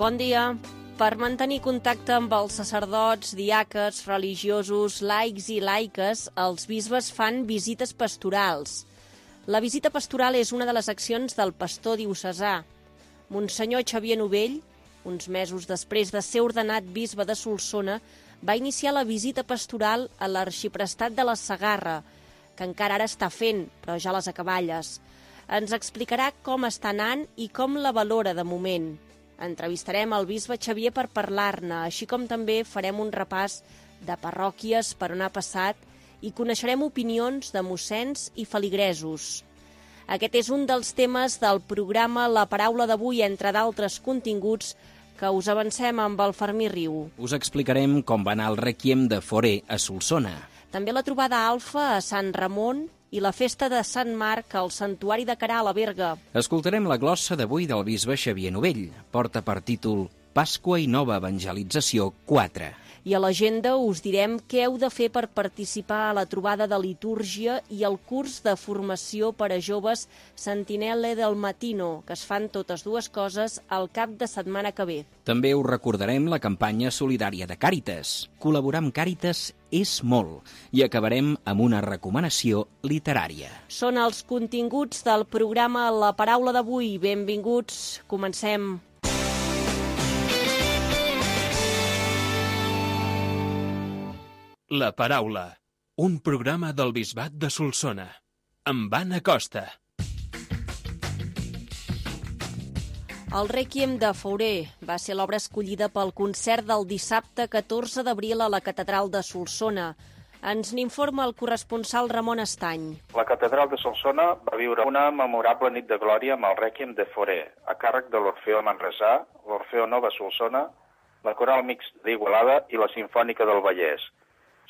Bon dia. Per mantenir contacte amb els sacerdots, diaques, religiosos, laics i laiques, els bisbes fan visites pastorals. La visita pastoral és una de les accions del pastor diocesà. Monsenyor Xavier Novell, uns mesos després de ser ordenat bisbe de Solsona, va iniciar la visita pastoral a l'arxiprestat de la Segarra, que encara ara està fent, però ja les acaballes. Ens explicarà com està anant i com la valora de moment. Entrevistarem el bisbe Xavier per parlar-ne, així com també farem un repàs de parròquies per on ha passat i coneixerem opinions de mossens i feligresos. Aquest és un dels temes del programa La Paraula d'avui, entre d'altres continguts que us avancem amb el Fermí Riu. Us explicarem com va anar el rèquiem de Fauré a Solsona. També la trobada alfa a Sant Ramon i la festa de Sant Marc al Santuari de Queralt a Berga. Escoltarem la glossa d'avui del bisbe Xavier Novell. Porta per títol Pasqua i Nova Evangelització 4. I a l'agenda us direm què heu de fer per participar a la trobada de litúrgia i al curs de formació per a joves Sentinelle del Matino, que es fan totes dues coses al cap de setmana que ve. També us recordarem la campanya solidària de Càritas. Col·laborar amb Càritas és molt. I acabarem amb una recomanació literària. Són els continguts del programa La Paraula d'avui. Benvinguts. Comencem. La Paraula, un programa del Bisbat de Solsona, amb Anna Costa. El Rèquiem de Fauré va ser l'obra escollida pel concert del dissabte 14 d'abril a la Catedral de Solsona. Ens n'informa el corresponsal Ramon Estany. La Catedral de Solsona va viure una memorable nit de glòria amb el Rèquiem de Fauré, a càrrec de l'Orfeó Manresà, l'Orfeó Nova Solsona, la Coral Mixta d'Igualada i la Simfònica del Vallès,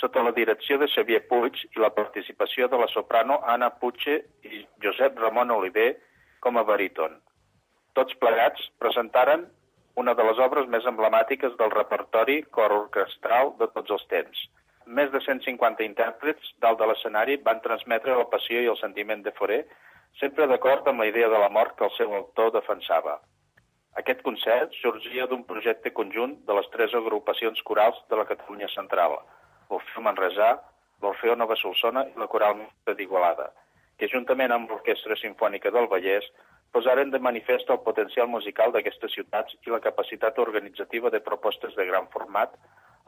sota la direcció de Xavier Puig i la participació de la soprano Anna Puche i Josep Ramon Oliver com a baríton. Tots plegats presentaren una de les obres més emblemàtiques del repertori cor orquestral de tots els temps. Més de 150 intèrprets dalt de l'escenari van transmetre la passió i el sentiment de Fauré, sempre d'acord amb la idea de la mort que el seu autor defensava. Aquest concert sorgia d'un projecte conjunt de les 3 agrupacions corals de la Catalunya Central, l'Orfeó Manresà, l'Orfeó Nova Solsona i la Coral Mixta d'Igualada, que juntament amb l'Orquestra Simfònica del Vallès posaren de manifest el potencial musical d'aquestes ciutats i la capacitat organitzativa de propostes de gran format,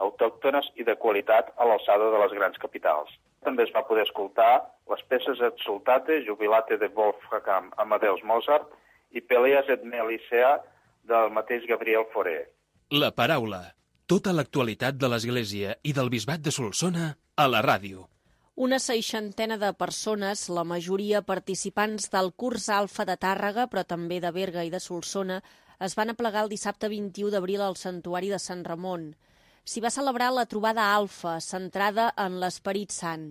autòctones i de qualitat a l'alçada de les grans capitals. També es va poder escoltar les peces Exultate, Jubilate de Wolfgang Amadeus Mozart i Peleas et Melisea del mateix Gabriel Fauré. La Paraula. Tota l'actualitat de l'Església i del Bisbat de Solsona a la ràdio. Una 60 de persones, la majoria participants del curs Alfa de Tàrrega, però també de Berga i de Solsona, es van aplegar el dissabte 21 d'abril al Santuari de Sant Ramon. S'hi va celebrar la trobada Alfa, centrada en l'Esperit Sant.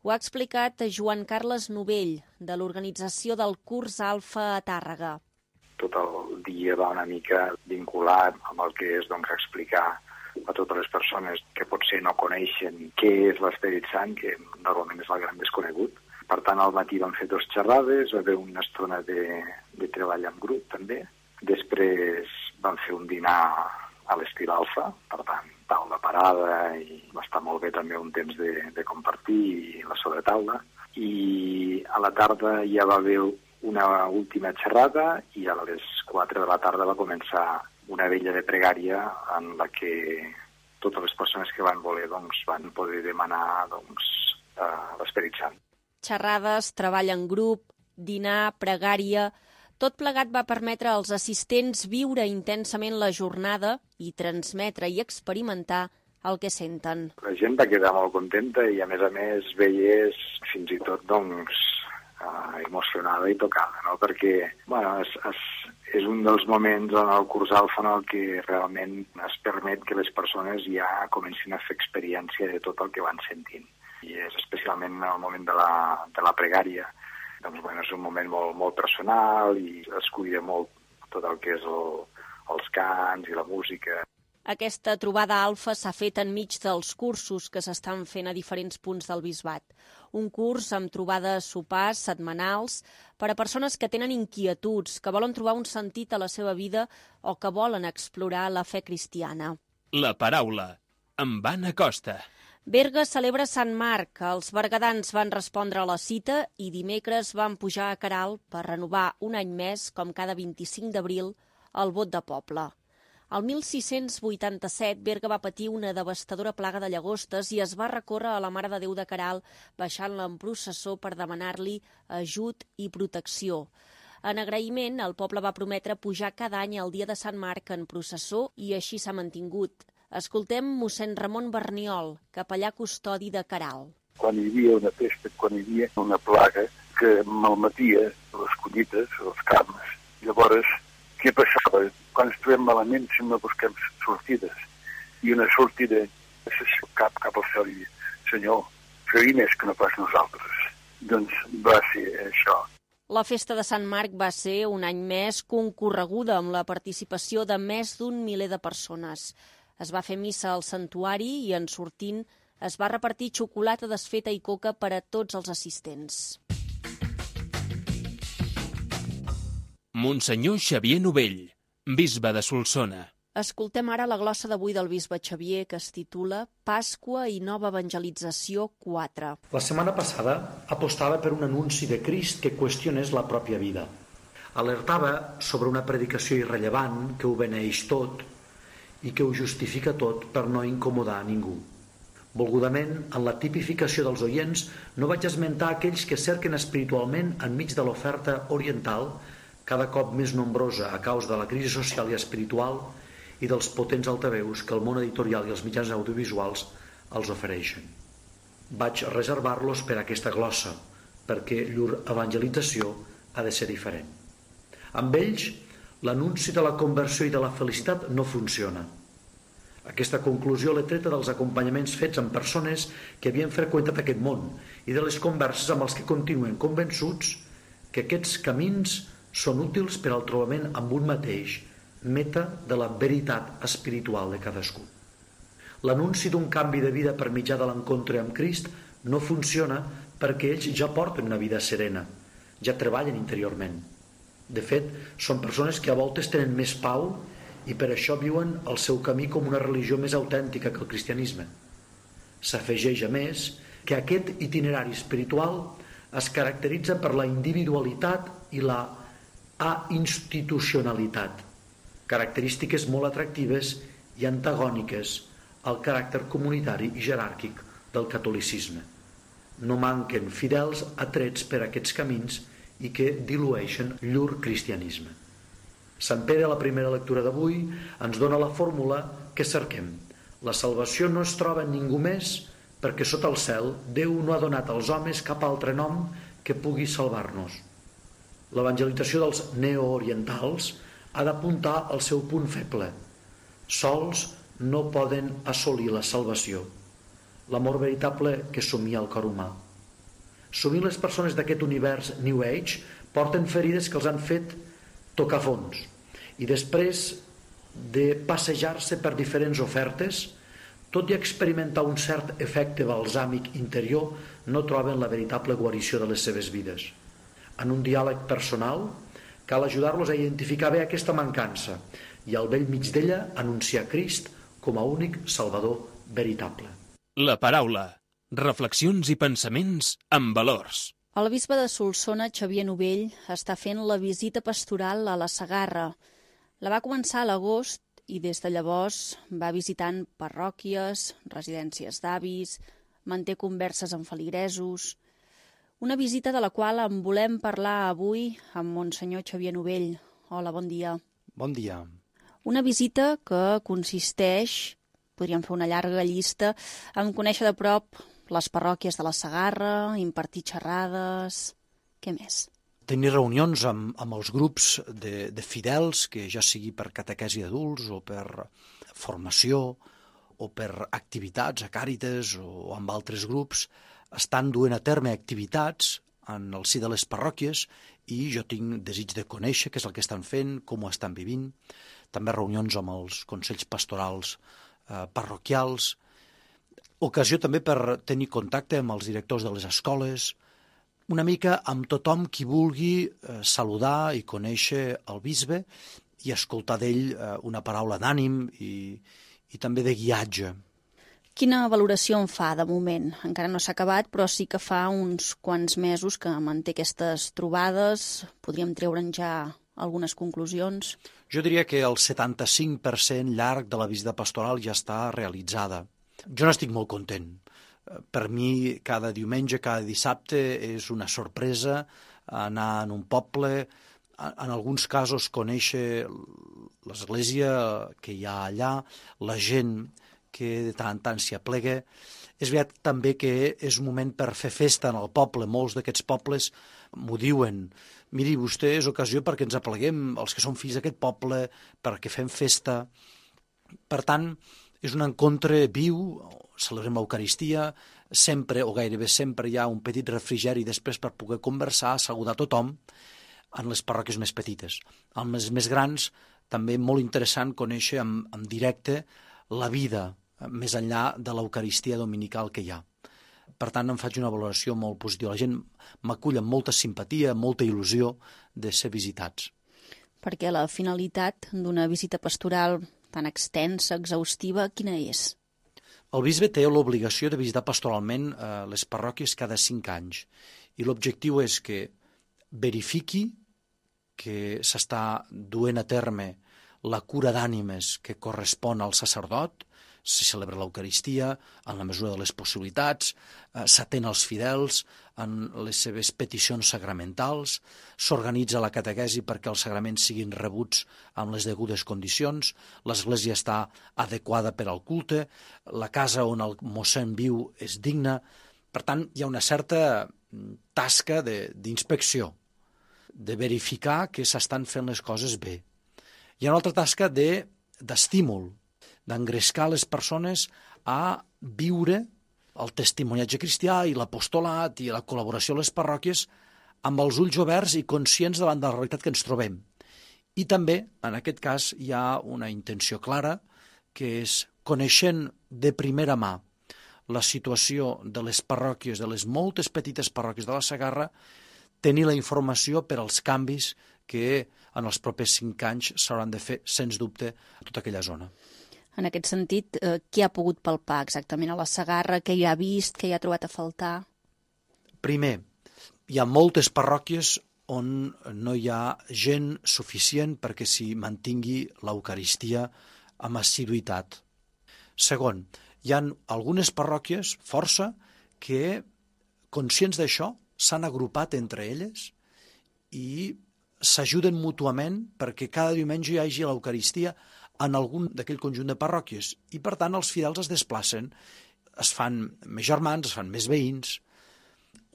Ho ha explicat Joan Carles Novell, de l'organització del curs Alfa a Tàrrega. Tot el dia va una mica vinculat amb el que és explicar a totes les persones que potser no coneixen què és l'Esperit Sant, que normalment és el gran desconegut. Per tant, al matí vam fer 2 xerrades, va haver una estona de treball en grup també. Després vam fer un dinar a l'estil Alfa, per tant, taula parada, i va estar molt bé també un temps de compartir i la sobretaula. I a la tarda ja va haver una última xerrada i a les 4 de la tarda va començar una vella de pregària en la que totes les persones que van voler van poder demanar l'Esperit Sant. Xerrades, treball en grup, dinar, pregària... Tot plegat va permetre als assistents viure intensament la jornada i transmetre i experimentar el que senten. La gent va quedar molt contenta i a més veies fins i tot emocionada i tocada, no? Perquè és un dels moments en el curs Alfa en el que realment es permet que les persones ja comencin a fer experiència de tot el que van sentint. I és especialment en el moment de la pregària. És un moment molt personal i es cuida molt tot el que és els cants i la música. Aquesta trobada Alfa s'ha fet enmig dels cursos que s'estan fent a diferents punts del Bisbat. un curs amb trobades sopars setmanals per a persones que tenen inquietuds, que volen trobar un sentit a la seva vida o que volen explorar la fe cristiana. La paraula, amb Anna Costa. Berga celebra Sant Marc. Els bergadans van respondre a la cita i dimecres van pujar a Queralt per renovar un any més, com cada 25 d'abril, el vot de poble. El 1687, Berga va patir una devastadora plaga de llagostes i es va recórrer a la Mare de Déu de Queralt, baixant-la en processó per demanar-li ajut i protecció. En agraïment, el poble va prometre pujar cada any el dia de Sant Marc en processó i així s'ha mantingut. Escoltem mossèn Ramon Berniol, capellà custodi de Queralt. Quan hi havia una pesta, quan hi havia una plaga que malmetia les collites, els camps, llavors, què passava? Quan ens trobem malament, sempre busquem sortides. I una sortida és cap al cel i dir, Senyor, feu-hi més que no pas nosaltres. Doncs va ser això. La festa de Sant Marc va ser un any més concorreguda amb la participació de més d'1 miler de persones. Es va fer missa al santuari i, en sortint, es va repartir xocolata desfeta i coca per a tots els assistents. Monsenyor Xavier Novell, bisbe de Solsona. Escoltem ara la glossa d'avui del bisbe Xavier, que es titula Pasqua i nova evangelització 4. La setmana passada apostava per un anunci de Crist que qüestionés la pròpia vida. Alertava sobre una predicació irrellevant que ho beneeix tot i que ho justifica tot per no incomodar a ningú. Volgudament, en la tipificació dels oients, no vaig esmentar aquells que cerquen espiritualment enmig de l'oferta oriental, cada cop més nombrosa a causa de la crisi social i espiritual i dels potents altaveus que el món editorial i els mitjans audiovisuals els ofereixen. Vaig reservar-los per a aquesta glossa, perquè llur evangelització ha de ser diferent. Amb ells, l'anunci de la conversió i de la felicitat no funciona. Aquesta conclusió l'he treta dels acompanyaments fets amb persones que havien freqüentat aquest món i de les converses amb els que continuen convençuts que aquests camins són útils per al trobament amb un mateix, meta de la veritat espiritual de cadascú. L'anunci d'un canvi de vida per mitjà de l'encontre amb Crist no funciona perquè ells ja porten una vida serena, ja treballen interiorment. De fet, són persones que a voltes tenen més pau i per això viuen el seu camí com una religió més autèntica que el cristianisme. S'afegeix, a més, que aquest itinerari espiritual es caracteritza per la individualitat i la institucionalitat, característiques molt atractives i antagòniques al caràcter comunitari i jeràrquic del catolicisme. No manquen fidels atrets per aquests camins i que dilueixen llur cristianisme. Sant Pere, a la primera lectura d'avui, ens dona la fórmula que cerquem. La salvació no es troba en ningú més perquè sota el cel Déu no ha donat als homes cap altre nom que pugui salvar-nos. L'evangelització dels neoorientals ha d'apuntar al seu punt feble. Sols no poden assolir la salvació, l'amor veritable que somia el cor humà. Sovint les persones d'aquest univers New Age porten ferides que els han fet tocar fons i després de passejar-se per diferents ofertes, tot i experimentar un cert efecte balsàmic interior, no troben la veritable guarició de les seves vides. En un diàleg personal, cal ajudar-los a identificar bé aquesta mancança i al bell mig d'ella anunciar Crist com a únic Salvador veritable. La paraula. Reflexions i pensaments amb valors. El bisbe de Solsona, Xavier Novell, està fent la visita pastoral a la Segarra. La va començar a l'agost i des de llavors va visitant parròquies, residències d'avis, manté converses amb feligresos. Una visita de la qual en volem parlar avui amb Monsenyor Xavier Novell. Hola, bon dia. Bon dia. Una visita que consisteix, podríem fer una llarga llista, en conèixer de prop les parròquies de la Segarra, impartir xerrades... Què més? Tenir reunions amb els grups de fidels, que ja sigui per catequesi d'adults o per formació o per activitats a Càritas o amb altres grups, estan duent a terme activitats en el si de les parròquies i jo tinc desig de conèixer què és el que estan fent, com ho estan vivint. També reunions amb els consells pastorals parroquials. Ocasió també per tenir contacte amb els directors de les escoles, una mica amb tothom qui vulgui saludar i conèixer el bisbe i escoltar d'ell una paraula d'ànim i també de guiatge. Quina valoració en fa de moment? Encara no s'ha acabat, però sí que fa uns quants mesos que manté aquestes trobades. Podríem treure'n ja algunes conclusions? Jo diria que el 75% llarg de la visita pastoral ja està realitzada. Jo n'estic molt content. Per mi, cada diumenge, cada dissabte, és una sorpresa anar en un poble, en alguns casos conèixer l'església que hi ha allà, la gent que de tant en tant s'hi aplega. És veritat també que és un moment per fer festa en el poble. Molts d'aquests pobles m'ho diuen. Miri, vostè és ocasió perquè ens apleguem, els que som fills d'aquest poble, perquè fem festa. Per tant, és un encontre viu, celebrem l'Eucaristia, sempre o gairebé sempre hi ha un petit refrigeri després per poder conversar, saludar tothom en les parròquies més petites. En les més grans, també molt interessant conèixer en directe la vida més enllà de l'Eucaristia dominical que hi ha. Per tant, em faig una valoració molt positiva. La gent m'acull amb molta simpatia, molta il·lusió de ser visitats. Perquè la finalitat d'una visita pastoral tan extensa, exhaustiva, quina és? El bisbe té l'obligació de visitar pastoralment les parròquies cada 5 anys i l'objectiu és que verifiqui que s'està duent a terme la cura d'ànimes que correspon al sacerdot, se celebra l'Eucaristia en la mesura de les possibilitats, s'atén als fidels en les seves peticions sacramentals, s'organitza la catequesi perquè els sagraments siguin rebuts amb les degudes condicions, l'església està adequada per al culte, la casa on el mossèn viu és digna. Per tant, hi ha una certa tasca d'inspecció, de verificar que s'estan fent les coses bé. Hi ha una altra tasca d'estímul, d'engrescar les persones a viure el testimoniatge cristià i l'apostolat i la col·laboració a les parròquies amb els ulls oberts i conscients davant de la realitat que ens trobem. I també, en aquest cas, hi ha una intenció clara, que és, coneixent de primera mà la situació de les parròquies, de les moltes petites parròquies de la Segarra, tenir la informació per als canvis que en els propers 5 anys s'hauran de fer, sens dubte, a tota aquella zona. En aquest sentit, què ha pogut palpar exactament a la Segarra? Què hi ha vist? Què hi ha trobat a faltar? Primer, hi ha moltes parròquies on no hi ha gent suficient perquè s'hi mantingui l'Eucaristia amb assiduïtat. Segon, hi ha algunes parròquies, força, que, conscients d'això, s'han agrupat entre elles i s'ajuden mútuament perquè cada diumenge hi hagi l'Eucaristia en algun d'aquell conjunt de parròquies i, per tant, els fidels es desplacen, es fan més germans, es fan més veïns.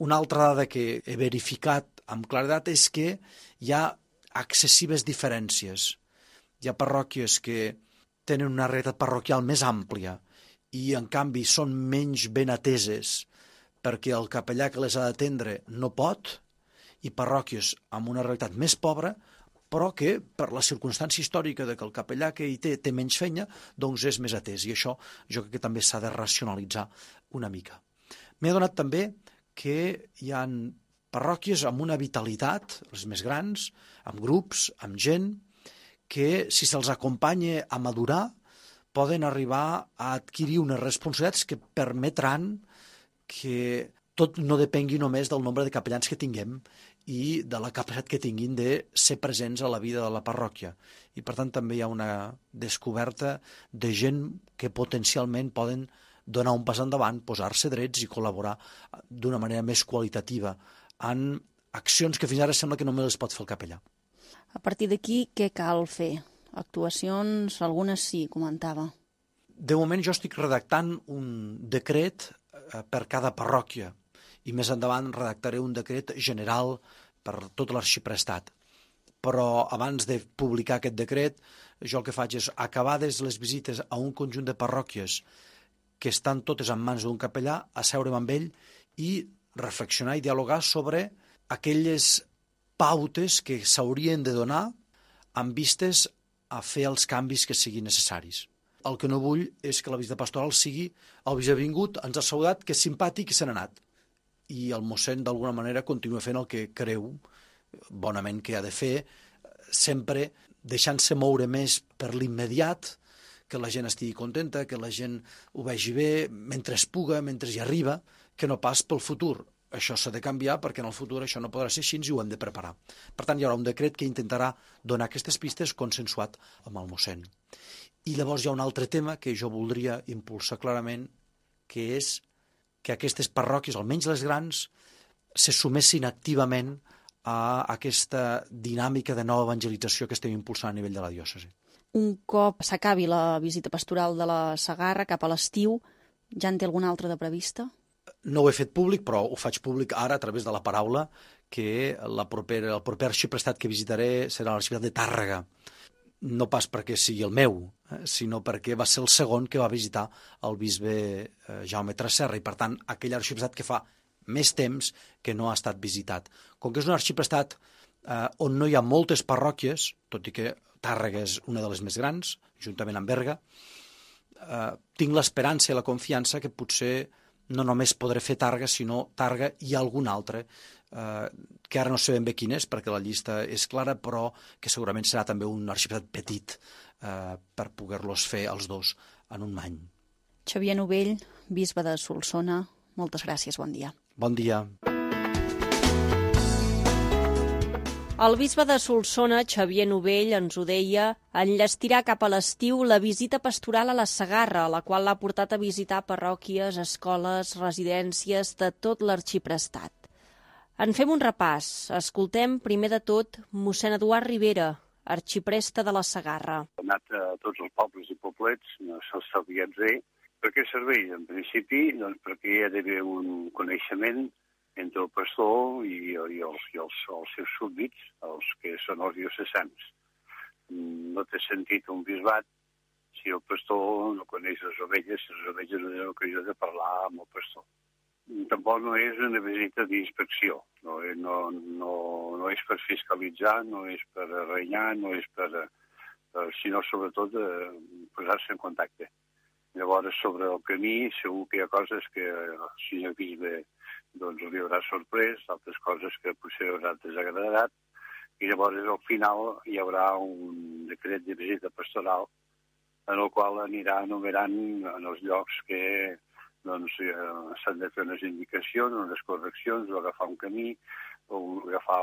Una altra dada que he verificat amb claredat és que hi ha excessives diferències. Hi ha parròquies que tenen una realitat parroquial més àmplia i, en canvi, són menys ben ateses perquè el capellà que les ha d'atendre no pot, i parròquies amb una realitat més pobra, però que, per la circumstància històrica de que el capellà que hi té menys feina, doncs és més atès. I això jo crec que també s'ha de racionalitzar una mica. M'he adonat també que hi ha parròquies amb una vitalitat, les més grans, amb grups, amb gent, que si se'ls acompanya a madurar, poden arribar a adquirir unes responsabilitats que permetran que tot no depengui només del nombre de capellans que tinguem i de la capacitat que tinguin de ser presents a la vida de la parròquia. I, per tant, també hi ha una descoberta de gent que potencialment poden donar un pas endavant, posar-se drets i col·laborar d'una manera més qualitativa en accions que fins ara sembla que només les pot fer el capellà. A partir d'aquí, què cal fer? Actuacions, algunes sí, comentava. De moment jo estic redactant un decret per cada parròquia i més endavant redactaré un decret general per tot l'arxiprestat. Però abans de publicar aquest decret, jo el que faig és, acabades les visites a un conjunt de parròquies que estan totes en mans d'un capellà, asseure'm amb ell i reflexionar i dialogar sobre aquelles pautes que s'haurien de donar amb vistes a fer els canvis que siguin necessaris. el que no vull és que la visita pastoral sigui el bisbe ha vingut, ens ha saludat, que és simpàtic i se n'ha anat. I el mossèn, d'alguna manera, continua fent el que creu bonament que ha de fer, sempre deixant-se moure més per l'immediat, que la gent estigui contenta, que la gent ho vegi bé, mentre es puga, mentre hi arriba, que no pas pel futur. Això s'ha de canviar perquè en el futur això no podrà ser així i ho hem de preparar. Per tant, hi haurà un decret que intentarà donar aquestes pistes consensuat amb el mossèn. I llavors hi ha un altre tema que jo voldria impulsar clarament, que és que aquestes parròquies, almenys les grans, se sumessin activament a aquesta dinàmica de nova evangelització que estem impulsant a nivell de la diòcesi. Un cop s'acabi la visita pastoral de la Segarra cap a l'estiu, ja en té alguna altra de prevista? No ho he fet públic, però ho faig públic ara a través de la paraula, que el proper arxiprestat que visitaré serà l'arxiprestat de Tàrrega. No pas perquè sigui el meu, sinó perquè va ser el segon que va visitar el bisbe Jaume Tresserra, i per tant aquell arxiprestat que fa més temps que no ha estat visitat. Com que és un arxiprestat on no hi ha moltes parròquies, tot i que Tàrrega és una de les més grans, juntament amb Berga, tinc l'esperança i la confiança que potser no només podré fer Tàrrega, sinó Tàrrega i algun altre, que ara no sé ben bé quin és, perquè la llista és clara, però que segurament serà també un arxiprestat petit per poder-los fer els dos en un any. Xavier Novell, bisbe de Solsona, moltes gràcies, bon dia. Bon dia. El bisbe de Solsona, Xavier Novell, ens ho deia, enllestirà cap a l'estiu la visita pastoral a la Segarra, la qual l'ha portat a visitar parròquies, escoles, residències de tot l'arxiprestat. En fem un repàs. Escoltem, primer de tot, mossèn Eduard Ribera, arxipreste de la Segarra. Ha anat a tots els pobles i poblets, no se'ls sabien bé. Per què serveix? En principi, doncs perquè hi ha d'haver un coneixement entre el pastor i els seus súbdits, els que són els diocesans. No té sentit un bisbat si el pastor no coneix les ovelles no tenen ocasió de parlar amb el pastor. Tampoc no és una visita d'inspecció, no és per fiscalitzar, no és per renyar, no és sinó sobretot posar-se en contacte. Llavors, sobre el camí, segur que hi ha coses que el senyor bisbe li haurà sorprès, altres coses que potser haurà desagradat, i llavors al final hi haurà un decret de visita pastoral en el qual anirà enumerant en els llocs que s'han de fer unes indicacions, unes correccions, o agafar un camí, o agafar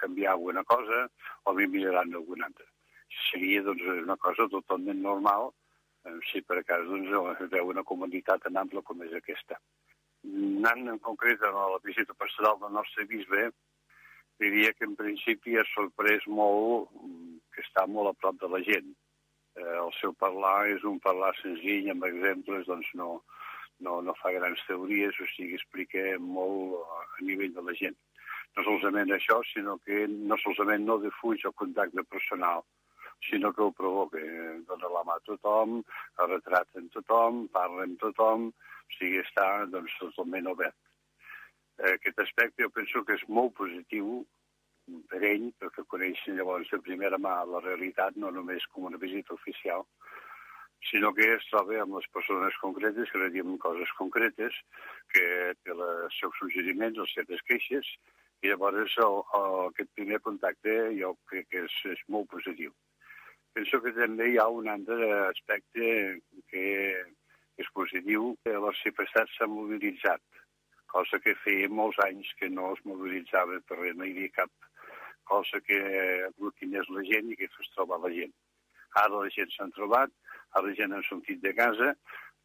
canviar alguna cosa, o millorar alguna altra. Seria una cosa totalment normal si per cas es veu una comunitat tan ampla com és aquesta. Anant en concret a la visita pastoral del nostre bisbe, diria que en principi ha sorprès molt que està molt a prop de la gent. El seu parlar és un parlar senzill, amb exemples, no fa grans teories, o sigui, explica molt a nivell de la gent. No solament això, sinó que no solament no defuig el contacte personal, sinó que ho provoca. Dona la mà a tothom, el retrata amb tothom, parla amb tothom, o sigui, està totalment obert. Aquest aspecte jo penso que és molt positiu per ell, perquè coneixen llavors de primera mà la realitat, no només com una visita oficial, sinó que es troba amb les persones concretes, que li diem coses concretes, que té els seus suggeriments, les seves queixes, i llavors aquest primer contacte jo crec que és molt positiu. Penso que també hi ha un altre aspecte que és positiu, que l'arxiprestat s'ha mobilitzat, cosa que feia molts anys que no es mobilitzava per res, no hi havia cap cosa que aglutinés la gent i que fes trobar la gent. Ara la gent s'han trobat, ara la gent ha sortit de casa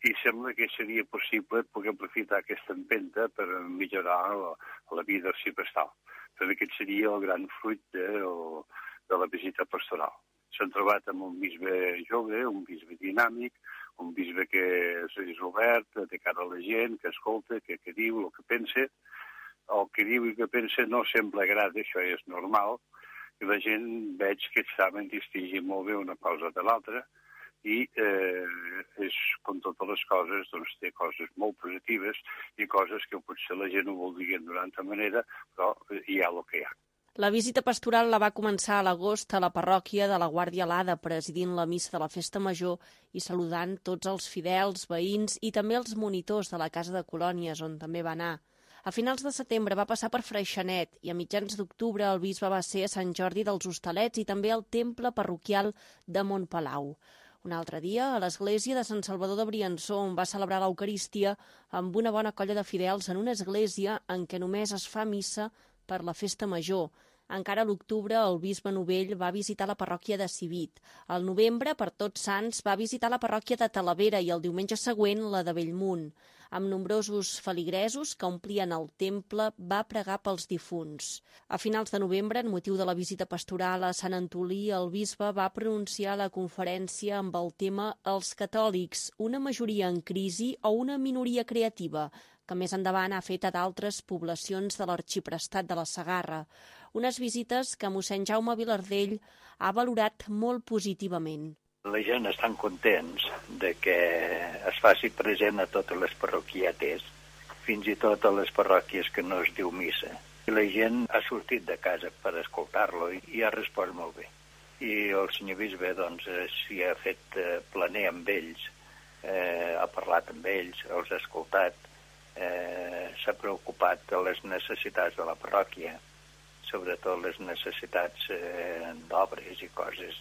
i sembla que seria possible poder aprofitar aquesta empenta per millorar la vida arxiprestal. Però aquest seria el gran fruit de la visita pastoral. S'han trobat amb un bisbe jove, un bisbe dinàmic, un bisbe que és obert, de cara a la gent, que escolta, que diu el que pensa. El que diu i que pensa no sempre agrada, això és normal, i la gent veig que saben distingir molt bé una cosa de l'altra, i com totes les coses, té coses molt positives i coses que potser la gent ho voldria d'una altra manera, però hi ha el que hi ha. La visita pastoral la va començar a l'agost a la parròquia de la Guàrdia Alada, presidint la missa de la Festa Major i saludant tots els fidels, veïns i també els monitors de la Casa de Colònies, on també va anar. A finals de setembre va passar per Freixenet i a mitjans d'octubre el bisbe va ser a Sant Jordi dels Hostalets i també al temple parroquial de Montpalau. Un altre dia, a l'església de Sant Salvador de Briançó, on va celebrar l'Eucaristia amb una bona colla de fidels en una església en què només es fa missa per la Festa Major. Encara a l'octubre, el bisbe Novell va visitar la parròquia de Civit. Al novembre, per Tots Sants, va visitar la parròquia de Talavera i el diumenge següent la de Bellmunt. Amb nombrosos feligresos que omplien el temple, va pregar pels difunts. A finals de novembre, en motiu de la visita pastoral a Sant Antolí, el bisbe va pronunciar la conferència amb el tema Els catòlics, una majoria en crisi o una minoria creativa, que més endavant ha fet a d'altres poblacions de l'arxiprestat de la Segarra. Unes visites que mossèn Jaume Vilardell ha valorat molt positivament. La gent estan contents de que es faci present a totes les parroquietes, fins i tot a les parròquies que no es diu missa. I la gent ha sortit de casa per escoltar-lo i ha respost molt bé. I el senyor bisbe s'hi ha fet planer amb ells, ha parlat amb ells, els ha escoltat, s'ha preocupat de les necessitats de la parròquia, sobretot les necessitats d'obres i coses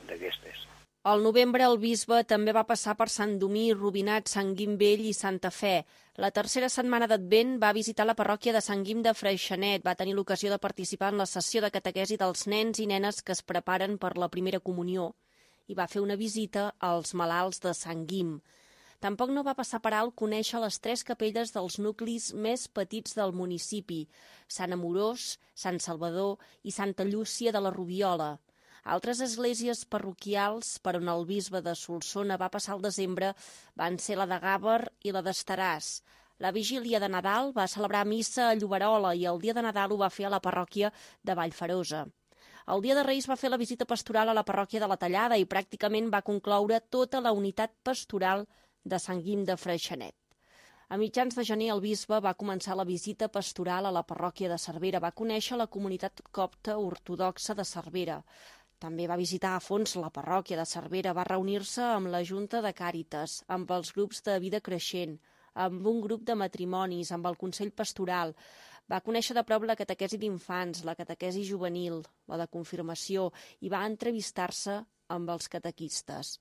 d'aquestes. Al novembre el bisbe també va passar per Sant Domí, Rubinat, Sant Guim Vell i Santa Fe. La tercera setmana d'Advent va visitar la parròquia de Sant Guim de Freixenet, va tenir l'ocasió de participar en la sessió de catequesi dels nens i nenes que es preparen per la primera comunió i va fer una visita als malalts de Sant Guim. Tampoc no va passar per alt conèixer les 3 capelles dels nuclis més petits del municipi, Sant Amorós, Sant Salvador i Santa Llúcia de la Rubiola. Altres esglésies parroquials per on el bisbe de Solsona va passar el desembre van ser la de Gàber i la d'Estaràs. La vigília de Nadal va celebrar missa a Lloberola i el dia de Nadal ho va fer a la parròquia de Vallferosa. El dia de Reis va fer la visita pastoral a la parròquia de la Tallada i pràcticament va concloure tota la unitat pastoral de Sant Guim de Freixenet. A mitjans de gener el bisbe va començar la visita pastoral a la parròquia de Cervera. Va conèixer la comunitat copta ortodoxa de Cervera. També va visitar a fons la parròquia de Cervera. Va reunir-se amb la Junta de Càritas, amb els grups de vida creixent, amb un grup de matrimonis, amb el Consell Pastoral. Va conèixer de prop la catequesi d'infants, la catequesi juvenil, la de confirmació, i va entrevistar-se amb els catequistes.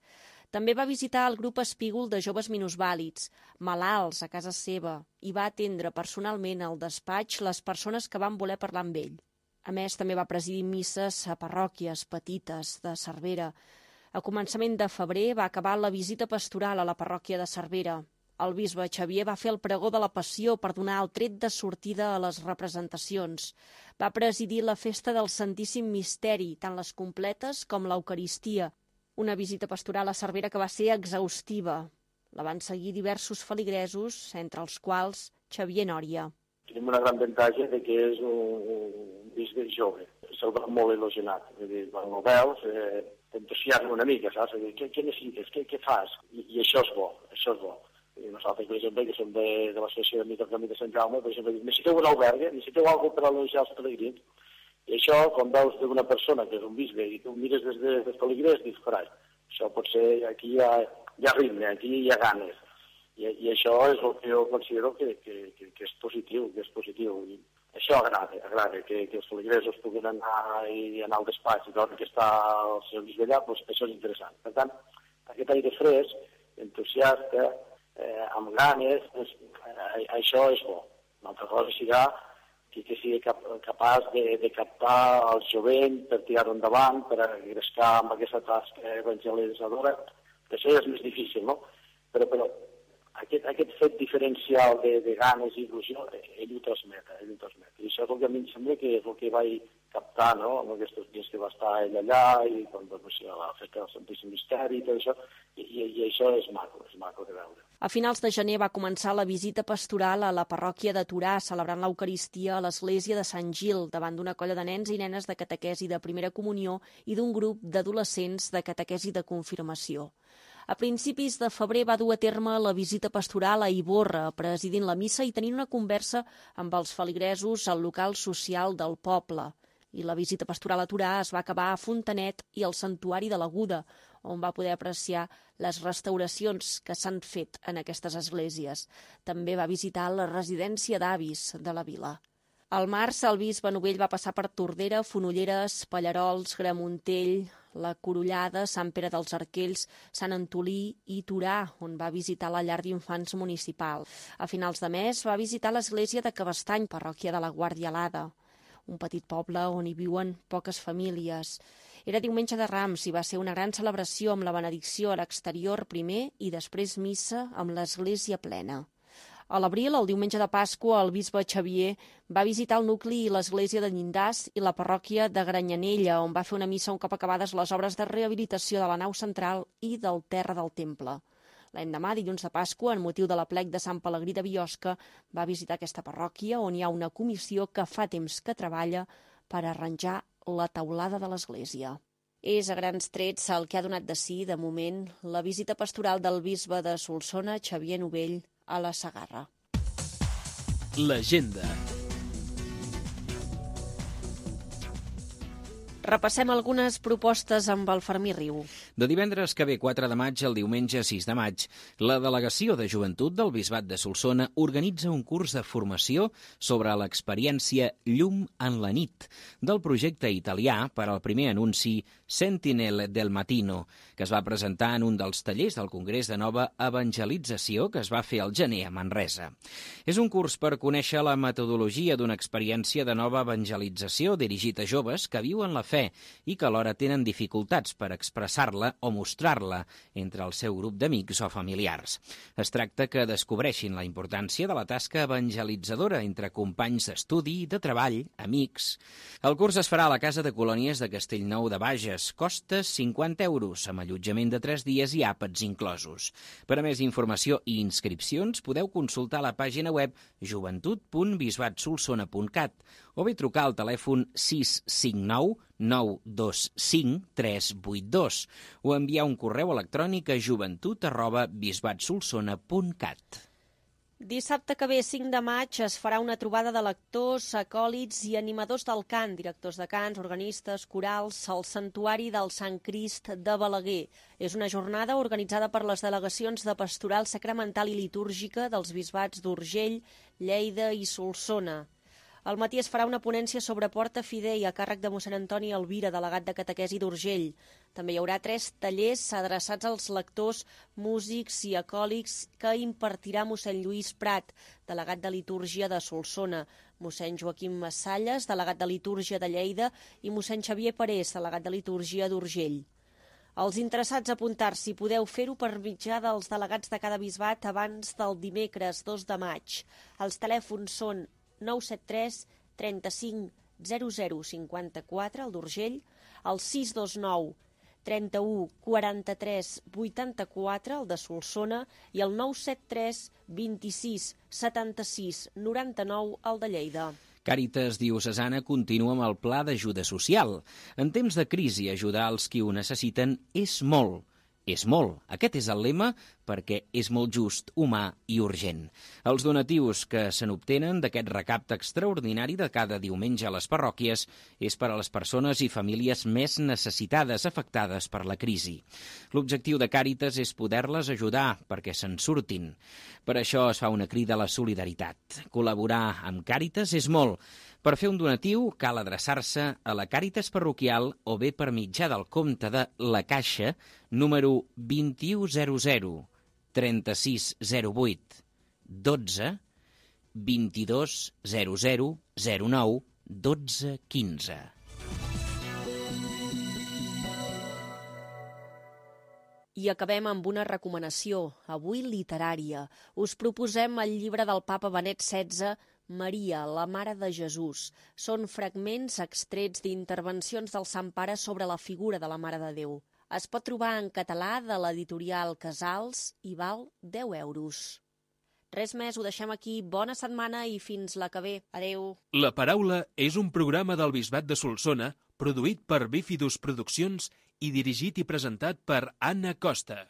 També va visitar el grup Espígol de joves minusvàlids, malalts a casa seva, i va atendre personalment al despatx les persones que van voler parlar amb ell. A més, també va presidir misses a parròquies petites de Cervera. A començament de febrer va acabar la visita pastoral a la parròquia de Cervera. El bisbe Xavier va fer el pregó de la Passió per donar el tret de sortida a les representacions. Va presidir la festa del Santíssim Misteri, tant les completes com l'Eucaristia. Una visita pastoral a Cervera que va ser exhaustiva. La van seguir diversos feligresos, entre els quals Xavier Nòria. Tenim una gran avantatge de que és un bisbe jove. Se'l va molt elogiat. Quan ho veus, t'entusiasma una mica, saps? Què necessites? Què fas? I això és bo, això és bo. I nosaltres, per exemple, que som de l'associació de Camí de Sant Jaume, per exemple, necessiteu un albergue, necessiteu alguna cosa per elogiar els pelegrins. I això, quan veus d'una persona que és un bisbe i tu mires des dels pelegrins, dius, carai, això potser aquí hi ha ritme, aquí hi ha ganes. I això és el que jo considero que és positiu, I això agrada, que els feligresos puguin anar al despatx i veure que està el seu bisbe allà, doncs això és interessant. Per tant, aquest aire fresc, entusiasta, amb ganes, això és bo. Una altra cosa serà que sigui capaç de captar el jovent per tirar-ho endavant, per engrescar amb aquesta tasca evangelitzadora, que això és més difícil, no? Però aquest fet diferencial de ganes i il·lusió, ell ho transmet. I això és el que a mi em sembla que és el que vaig captar, no?, en aquests dies que va estar ell allà, i quan va ser a la festa del Santíssim Misteri i tot això, i això és maco de veure. A finals de gener va començar la visita pastoral a la parròquia de Torà, celebrant l'Eucaristia a l'església de Sant Gil, davant d'una colla de nens i nenes de catequesi de primera comunió i d'un grup d'adolescents de catequesi de confirmació. A principis de febrer va dur a terme la visita pastoral a Ivorra, presidint la missa i tenint una conversa amb els feligresos al local social del poble. I la visita pastoral a Torà es va acabar a Fontanet i al Santuari de l'Aguda, on va poder apreciar les restauracions que s'han fet en aquestes esglésies. També va visitar la residència d'avis de la vila. Al març, el bisbe Novell va passar per Tordera, Fonolleres, Pallarols, Gramuntell, la Corollada, Sant Pere dels Arquells, Sant Antolí i Torà, on va visitar la llar d'infants municipal. A finals de mes va visitar l'església de Cabestany, parròquia de la Guàrdia Alada, un petit poble on hi viuen poques famílies. Era diumenge de Rams i va ser una gran celebració amb la benedicció a l'exterior primer i després missa amb l'església plena. A l'abril, el diumenge de Pasqua, el bisbe Xavier va visitar el nucli i l'església de Llindars i la parròquia de Granyanella, on va fer una missa un cop acabades les obres de rehabilitació de la nau central i del terra del temple. L'endemà, dilluns de Pasqua, en motiu de l'aplec de Sant Pelegrí de Biosca, va visitar aquesta parròquia on hi ha una comissió que fa temps que treballa per arranjar la teulada de l'església. És a grans trets el que ha donat de si, de moment, la visita pastoral del bisbe de Solsona, Xavier Novell, a la Segarra. L'agenda. Repassem algunes propostes amb el Fermí Riu. De divendres que ve 4 de maig al diumenge 6 de maig, la Delegació de Joventut del Bisbat de Solsona organitza un curs de formació sobre l'experiència Llum en la nit del projecte italià per al primer anunci Sentinel del Mattino, que es va presentar en un dels tallers del Congrés de Nova Evangelització que es va fer al gener a Manresa. És un curs per conèixer la metodologia d'una experiència de nova evangelització dirigit a joves que viuen la fe i que alhora tenen dificultats per expressar-la o mostrar-la entre el seu grup d'amics o familiars. Es tracta que descobreixin la importància de la tasca evangelitzadora entre companys d'estudi, de treball, amics. El curs es farà a la Casa de Colònies de Castellnou de Bages. Costa 50 euros, amb allotjament de 3 dies i àpats inclosos. Per a més informació i inscripcions podeu consultar la pàgina web joventut.bisbatsolsona.cat o bé trucar al telèfon 659 925 382 o enviar un correu electrònic a joventut@bisbatsolsona.cat. Dissabte que ve, 5 de maig, es farà una trobada de lectors, acòlits i animadors del cant, directors de cants, organistes, corals, al Santuari del Sant Crist de Balaguer. És una jornada organitzada per les delegacions de Pastoral Sacramental i Litúrgica dels bisbats d'Urgell, Lleida i Solsona. Al matí es farà una ponència sobre Porta Fidei a càrrec de mossèn Antoni Elvira, delegat de catequesi d'Urgell. També hi haurà 3 tallers adreçats als lectors, músics i acòlics que impartirà mossèn Lluís Prat, delegat de litúrgia de Solsona, mossèn Joaquim Massalles, delegat de litúrgia de Lleida, i mossèn Xavier Parés, delegat de litúrgia d'Urgell. Els interessats a apuntar-s'hi podeu fer-ho per mitjà dels delegats de cada bisbat abans del dimecres 2 de maig. Els telèfons són 973 35 00 54, el d'Urgell, el 629 31 43 84, el de Solsona, i el 973 26 76 99, el de Lleida. Càritas Diocesana continua amb el pla d'ajuda social. En temps de crisi, ajudar els qui ho necessiten és molt. És molt. Aquest és el lema perquè és molt just, humà i urgent. Els donatius que se n'obtenen d'aquest recapte extraordinari de cada diumenge a les parròquies és per a les persones i famílies més necessitades afectades per la crisi. L'objectiu de Càritas és poder-les ajudar perquè se'n surtin. Per això es fa una crida a la solidaritat. Col·laborar amb Càritas és molt. Per fer un donatiu cal adreçar-se a la Càritas parroquial o bé per mitjà del compte de La Caixa, número 2100 3608 12 2200 09 12 15. I acabem amb una recomanació, avui literària. Us proposem el llibre del papa Benet XVI, Maria, la Mare de Jesús. Són fragments extrets d'intervencions del Sant Pare sobre la figura de la Mare de Déu. Es pot trobar en català de l'editorial Casals i val 10 euros. Res més, ho deixem aquí. Bona setmana i fins la que ve. Adéu. La Paraula és un programa del Bisbat de Solsona produït per Bífidus Produccions i dirigit i presentat per Anna Costa.